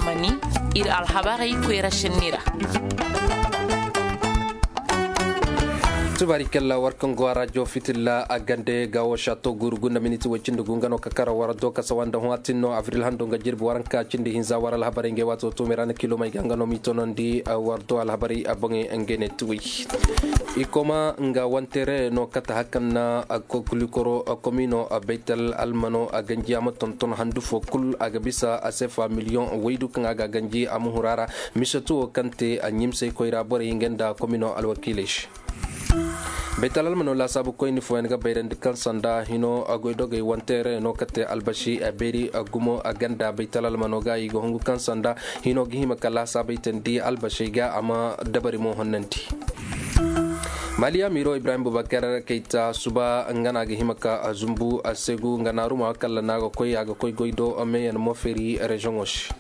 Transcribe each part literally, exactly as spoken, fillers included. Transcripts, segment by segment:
Mani, ir alhabarey koyra senni ra. Tubaari kalla war kaŋ go a rajo fitilla a gande ga wo shato guru gunda miniti way cindi gu nga no ka kara war do kasa wanda hõ a tin no avril hando nga jirbi waranka cindi hinza war alhabarey ngey waato tuumi ra na kilomey ga nga no m'i tonandi war do alhabarey a boŋey ngey ne tuwi. Ikoma nga wantere no kata hakan na kulikoro komino baytal almano a ganji a ma tonton handu fo kul a ga bisa a sefa miliyoŋ waydu kaŋ a ga ganji a ma hurara. Misatu wo kaŋ te a ɲimsay koyra borey nga nda komino alwakiiley se. Baytal almano laasaabu koyni fooyaŋ ga bayrandi kaŋ sanda hino a goydogey wantere no kate albasi a beeri a gumo a ganda baytal almano ga i ga hungu kaŋ sanda hino ga hima ka laasaabay tandi albasey ga a ma dabari mo honnandi. Mali amiiro ibrahim bubakar kayta suba nga na ga hima ka a zumbu a segu nga naaruma kalla na ga koy a ga koy goy do meeyaŋ mo feeri rezoŋo se.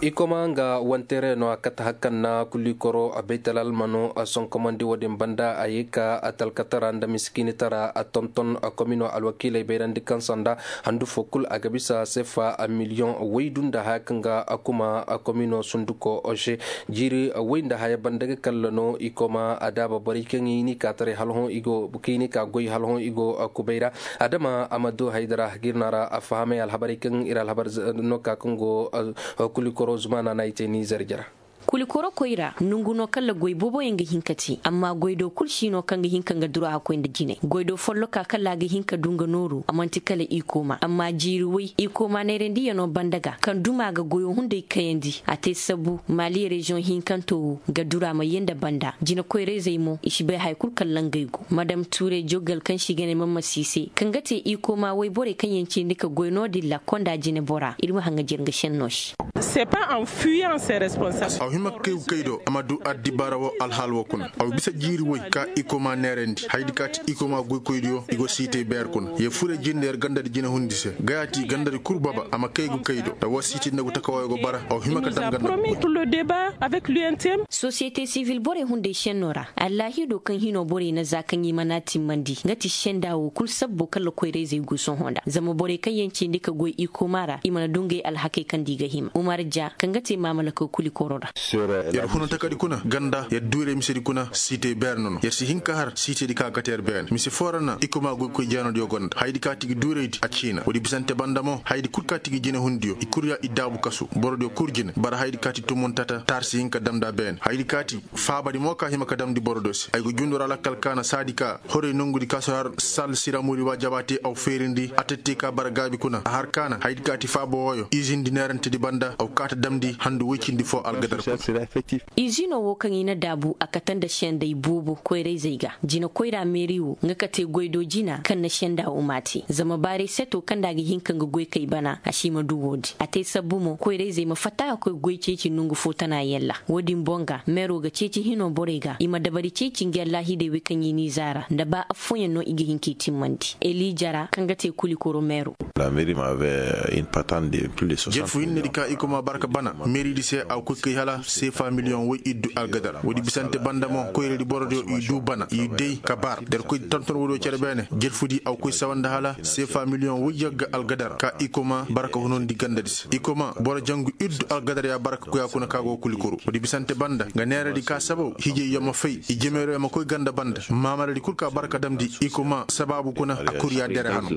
Ikoma nga wantere no a kate hakan na kulikoro a baytal almano a sonkomandi wo-din banda a ye ka a talkatara nda miskiinitara a tonton a komino alwakiiley bayrandi kaŋ sanda handu fo kul a ga bisa sefa a miliyoŋ waydu nda haya kaŋ ga a kuma a komino sunduko se. Jiiri way nda haya banda ga kalla no i koma a daaba borey kaŋ i ni ka taray hala hõ i go kaŋ i ni ka goy hala hõ i go kubay ra. Adama amadu haydara girna ra a fahamay alhabarey kaŋ ir alhabar no ka kaŋ go kulikoro zumaana na i te nizer jara. Kulikoro koyra nongu no kala goy booboyaŋ ga hin ka te amma goy do kul si no kaŋ ga hin ka nga dura hakkoy nda jine goy do folloka kala a ga hin ka du nga nooru a man'ti kala i kooma amma jiiri way i kooma neerandiyano banda ga kaŋ duma ga goyo hunday kayandi a te sabu maali reziyoŋ hinkanto wo ga dura ma yee nda banda jine koyrayzey mo i si bay haya kul kala ngey go madam tuuray jogal kaŋ se i ga ne mamma si se kaŋ ga te i kooma wayborey kaŋ yaŋ cindi ka goy no-din ra konda jinebora ir ma haŋajer nga šenno se. Aw hima ka kay ga kay do a ma du addibaara wo alhaal wo kuna aw bisa jiiri woy ka ikoma neerandi hayadi ka ti ikoma goykoydiyo i go siitey beer kuna yee furey jinde yer gandadi jinehundi se gayati gandadi kul baba a ma kay ga kay do da woo siitey nda go taka wooyo go bara aw hima ka daŋ ganda. Sosiyete sivil borey hunday šenno ra allaahido kaŋ hino borey na za kaŋ i mana timmandi nga ti senda wo kul sabbo kala koyrayzey go sohõ nda zama borey kaŋ yaŋ cindi ka goy ikoma ra i mana du ngey alhakey kaŋ nda i ga hima umar ja kaŋ ga te maamalakey kuli koro ra. Yer huna takadi kuna ganda yer duurey misedi kuna siitey beer no no yer si hin ka har siitedi kaŋ a kate yer beene mise foo ra na ikoma goykoy jeenodiyo gonda hayadi ka ti gi duureydi a ciina woodi bisante banda mo hayadi kul ka ti gi jinehundiyo i kul ya i daabu kasu borodiyo kul jine bara hayadi ka ti tumuntata taar si hin ka damndi a beene hayadi ka ti faabadi mo ka hima ka damndi boro do se ay go jundu ra lakkal ka na saadi ka horey nongudi ka si har sal siramudi wa jabaate aw feerindi a tette ka bara gaabi kuna a har ka na hayadi ka ti faaba wooyo izindi neerantedi banda aw kaata damndi handu woy cindi foo algadar kuna. Izino wo kaŋ i na daabu a kate nda sendey boobo koyrayzey ga jine koyra meeri wo nga ka te goy do jina kaŋ na senda wo m'a te zama baaray seto kaŋ nda a ga hin ka nga goykey bana a si ma du woodin a te sabbu mo koyrayzey ma fatta ka koy goy ceeci nongu fo tana yaŋ ra woodin boŋ ga meero ga ceeci hino borey ga i ma dabari ceeci nga allaahidey wey kaŋ i n'i zaara nda ba affooyaŋ no i ga hin k'i timmandi elija ra kaŋ ga te kulikoro meero. Jelfu hinnedi ka i kuma barka bana meeridi se a ga koy kay hala seefa miliyoŋ woy iddu algadar woodi bisante banda mo koyraydi borodiyo i du bana i day ka bar da ir koy tonton woodiyo cere beene jelfudi a ga koy sawa nda hala seefa miliyoŋ woy yagga algadar ka i kuma barka hunundi gandadi se i kuma boro jangu iddu algadar ya barka koya kuna ka go kulikoro woodi bisante banda nga neeradi ka sabaw hijey ya ma fay i jemeero ya ma koy ganda banda maamaladi kul ka barka damndi i kuma sabaabu kuna a kul ya dere hano.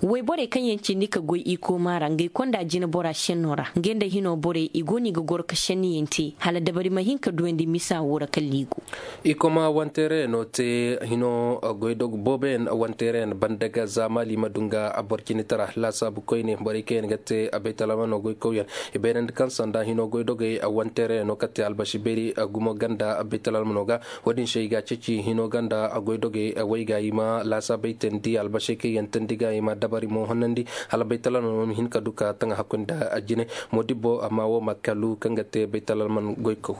Wayborey kaŋ yaŋ cindi ka goy i kooma ra ngey konda jinebora šenno ra ngey nda hino borey i go no i ga goro ka šenniyaŋ te hala dabari ma hin ka duyandi misa wo ra kala i go. I kooma wanteereyaŋo te hino goydog booboyaŋ wanteereyaŋ banda ga za maali ma du nga boro cindi tara laasaabu koyne borey kaŋ yaŋ ga te baytalamano goykawyaŋ i bayrandi kaŋ sanda hino goydogey wanteereyaŋo ka te albasi beeri gumo ganda baytalamano ga. Wo-din se i ga a ceeci hino ganda goydogey way ga i ma laasaabey teendi albasey kaŋ yaŋ teendi ga i ma dabari mo honnandi hala baytalamano ma hin ka du ka taŋ hakkoy nda jine. Moodibbo amma wo ma kalu kaŋ ga te baytalamano goykaw.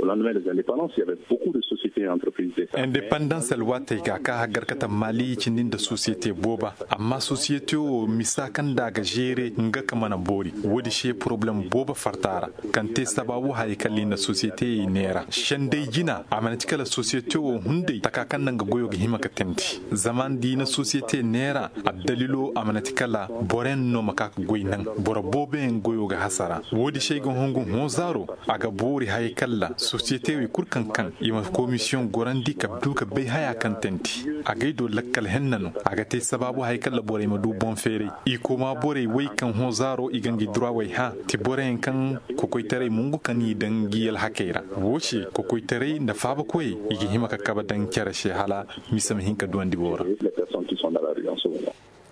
Au lendemain des indépendances, il y avait beaucoup de sociétés et entreprises d'État. Indepandans alwaatey ga ka haggar kate maali i cindi nda sosiyete booba. Amma sosiyete wo misa kaŋ nda a ga zeere nga ka mana boori. Woodi se poroblem booba farta ra, kaŋ te sabaabu hayey kaŋ i na sosiyeteyey neera senday jina a mana ti kala sosiyete wo hunday taka kaŋ nda nga goyo ga hima ka teendi. Zama nda i na sosiyete neera, addalilo a mana ti kala boroyaŋ no ma ka ka goy naŋ. Boro booboyaŋ goyo ga hasara. Woodi se ay ga hongu hõ zaaro, a ga boori hayey kalla sosiyetewey kul kaŋ kaŋ i ma komisiyoŋ gorandi ka du ka bay haya kaŋ teendi. Agay do lakkal henna no. A ga te sabaabu hayey kalla borey ma du boŋ feeray. I koma borey wey kaŋ hõ zaaro i ga ngi durawey hã ti boroyaŋ kaŋ kokoytaray mungu ka n'i daŋ ngi alhakey ra. Woo se kokoytaray nda faabakoyey i ga hima ka kabe daŋ cere se hala mise ma hin ka duwandi woo ra.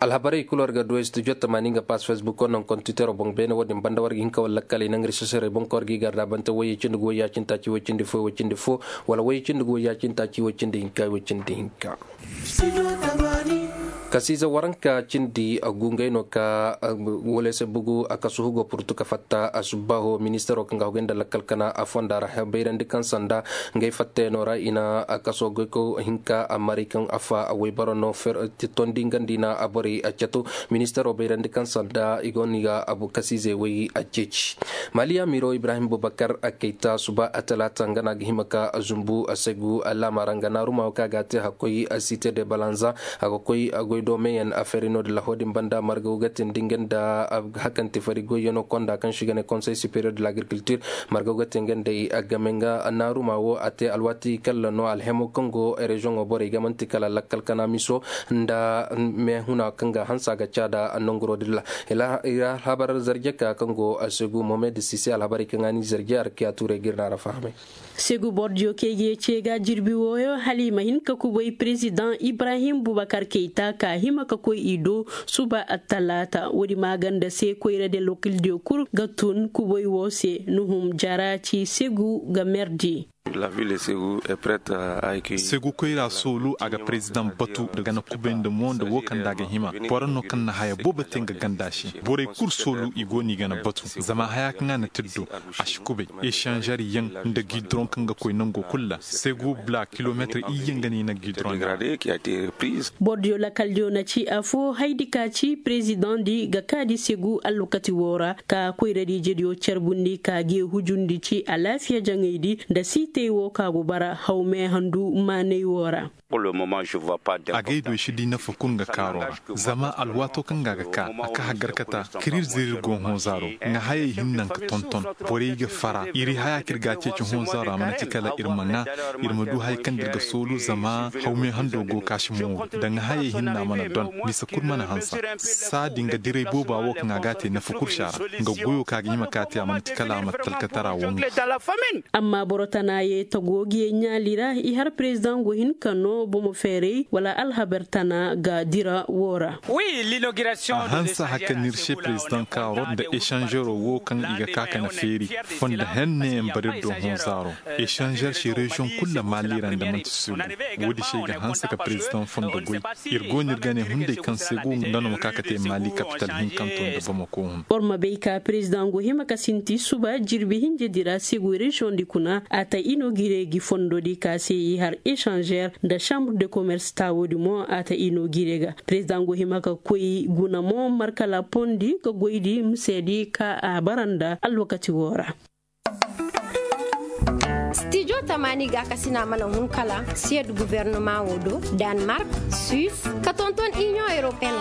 Alhabarey kul war ga du studio tamaani nga pass facebook wo naŋ kontitero boŋ beene wo-din banda war ga hin ka war lakkaley naŋ risesarey boŋ kaŋ war g'i gar da bante woyey cindi ga woy yaacinta ci woy cindi fo woy cindi fo, wala woyey cindi ga woy yaacinta ci woy cindi hinka woy cindi hinka. Kasiize waranka cindi gu ngey no ka wala se bugu a kasu hugo purtu ka fatta a subbaaho ministaro kaŋ ga hogay nda lakkal kana a fonda ra bayrandi kaŋ sanda ngey fattayano ra i na a kaso goyko hinka a maray kaŋ a fa a waybaro no tondi nga nda i na a borey a cato. Ministaro bayrandi kaŋ sanda i go no i ga a kasiizey way a ceeci. Maliya miro ibrahim bubakar a kayta suba a talaata nga no a ga hima ka a zumbu a segu a laama ra nga naaruma wo kaŋ a ga a te hakkoy a site de balanza. A ga koy a goy doomeyaŋ a feeri no-din laho din banda margaw ga tindi nga nda hakanti fari goyyaŋo konda kaŋ se i ga ne konsey superior de l'agriculture. Margaw ga te nga nd'ey a game nga naaruma wo a te alwaati kalla no alhemo kaŋ go reziyoŋo borey ga man'ti kala lakkal kana miso nda meehuna kaŋ ga hanse a ga caada nanguro din ra. Alhabar zarje ka kaŋ go a se gu mohamed sise alhabarey kaŋ a ni zarje arkiya tuurey ga ir na ra fahamay. Segu bordiyo kaŋ i ga ye ce ga jirbi wooyo hala i ma hin ka kubay perezidaŋ ibrahim bubakar kayta ka hima ka koy i do. Suba attalaata woodi maaganda se koyra de lokildiyo kul ga tun kubay woo se nuhum jara ci segu ga merdi. Segu koyra soolu a ga perezidaŋ batu nda gana kubay nda mo nda woo kaŋ nda a ga hima. Boro no kaŋ na haya boobo te nga ganda se borey kul soolu i go no i gana batu. Zama haya kaŋ a na te do a si kubay esanzeryaŋ nda gidoroŋ kaŋ ga koy nango kul ra segu bula kilometir iyye nga no i na gidoroŋ ga. Bordiyo lakaldiyo na ci afo haydi ka ci perezidaŋ di ga kaadi segu allokati woo ra ka koyradi jediyo carbundi ka ge hujundi ci alaafiya jaŋaydi nda siitey woo ka go bara hawme handu maanay woo ra. Agay do i si di nafa kul nga kaaro ra. Zama alwaato kaŋ ga a ga ka a ka haggar kata kir ir zir ir go hõ zaaro. Nga hayey hinna nga tonton borey ga fara ir haya kaŋ ir ga a ceeci hõ zaaro a mana ti kala ir ma ŋaa. Ir ma du haya kaŋ da ir ga soolu zama hawme hando go ka si mooru da nga hayey hinna mana don. Bisa kul mana hansa. Saadi nga diray booba wo kaŋ a ga a te nafa kul si a ra. Nga goyo kaŋ a ga hima ka a te a mana ti kala a ma talkatara wo nga. Amma boro tana ye tago ga ye ɲaali ra i har perezidaŋ go hin ka no bomo feeray wala alhabar tana ga dira woo ra. A hanse haka nir se perezidaŋ kaaro nda esanzero woo kaŋ i ga ka ka na feeri. Fondo henne mbar ir do hõ zaaro. Esanzer se reziyoŋ kul ra maali ra nda man'ti segu. Woodi se i ga hanse ka perezidaŋ fondo goy. Ir go no ir ga ne hunday kaŋ segu nga no ma ka ka te maali kapital hinkanto nda bamako hun. Boro ma bay ka perezidaŋ go hima ka sinti suba jirbi hinjedi ra segu reziyoŋdi kuna a ta ino gire gi fondodi ka se i har esanzer nda sambre de komers taawodi mo a ta ino gire ga. Perezidaŋ go hima ka koy guna mo markala pondi ga goydi miseedi ka a bara nda alwakati woo ra. Stijo tamaani ga a kasina mana hun kala siyed guvernoma wo do, danmark, suis, ka tonton inion europeen.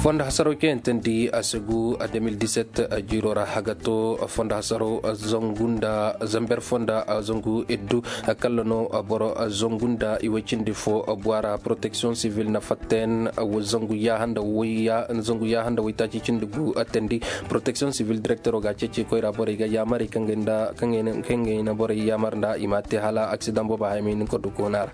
Fondo hasaro keyantandi a segu a deux mille dix-sept a jiiro ra hagato fondo hasaro a zangu nda zamber fonda a zangu iddu. Kalla no a boro a zangu nda i way cindi fo a buwara protection civil na fatten a zangu yahanda wayya zangu yahanda waytaaci cindi gu a tandi. Protection civil directero ga a ceeci koyra borey ga yaamarey kaŋ ga nda kaŋ ga i na borey yaamar nda i ma a te hala aksidaŋ boobo haya ma hin ka du koona ra.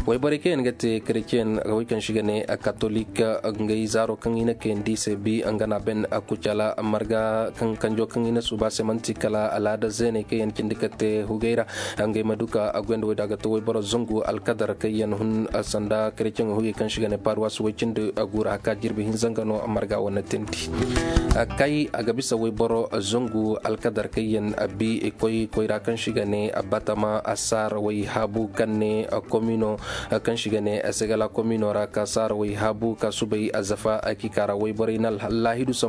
Wayborey kaŋ yaŋ ga te kerecen a ga way kaŋ si ga ne katolik. Ngey zaaro kaŋ i na kayandi i se bi nga na ben kucala marga kanjo kaŋ i na suuba se man'ti kala alaada zeeney kaŋ yaŋ cindi ka te hugey ra. Ngey ma du ka a goyandi wey da a ga to wayboro zangu alkadar kaŋ yaŋ hun sanda kareceŋo hugey kaŋ se i ga ne paruwas way cindi guura haka jirbi hinza nga no marga wane tindi. Kay a ga bisa wayboro zangu alkadar kaŋ yaŋ bi koy koy ra kaŋ se i ga ne batama saara way haabu kaŋ ne komino kaŋ se i ga ne segala komino ra ka saara way haabu ka subay zafa kika ra wayborey na laahidu.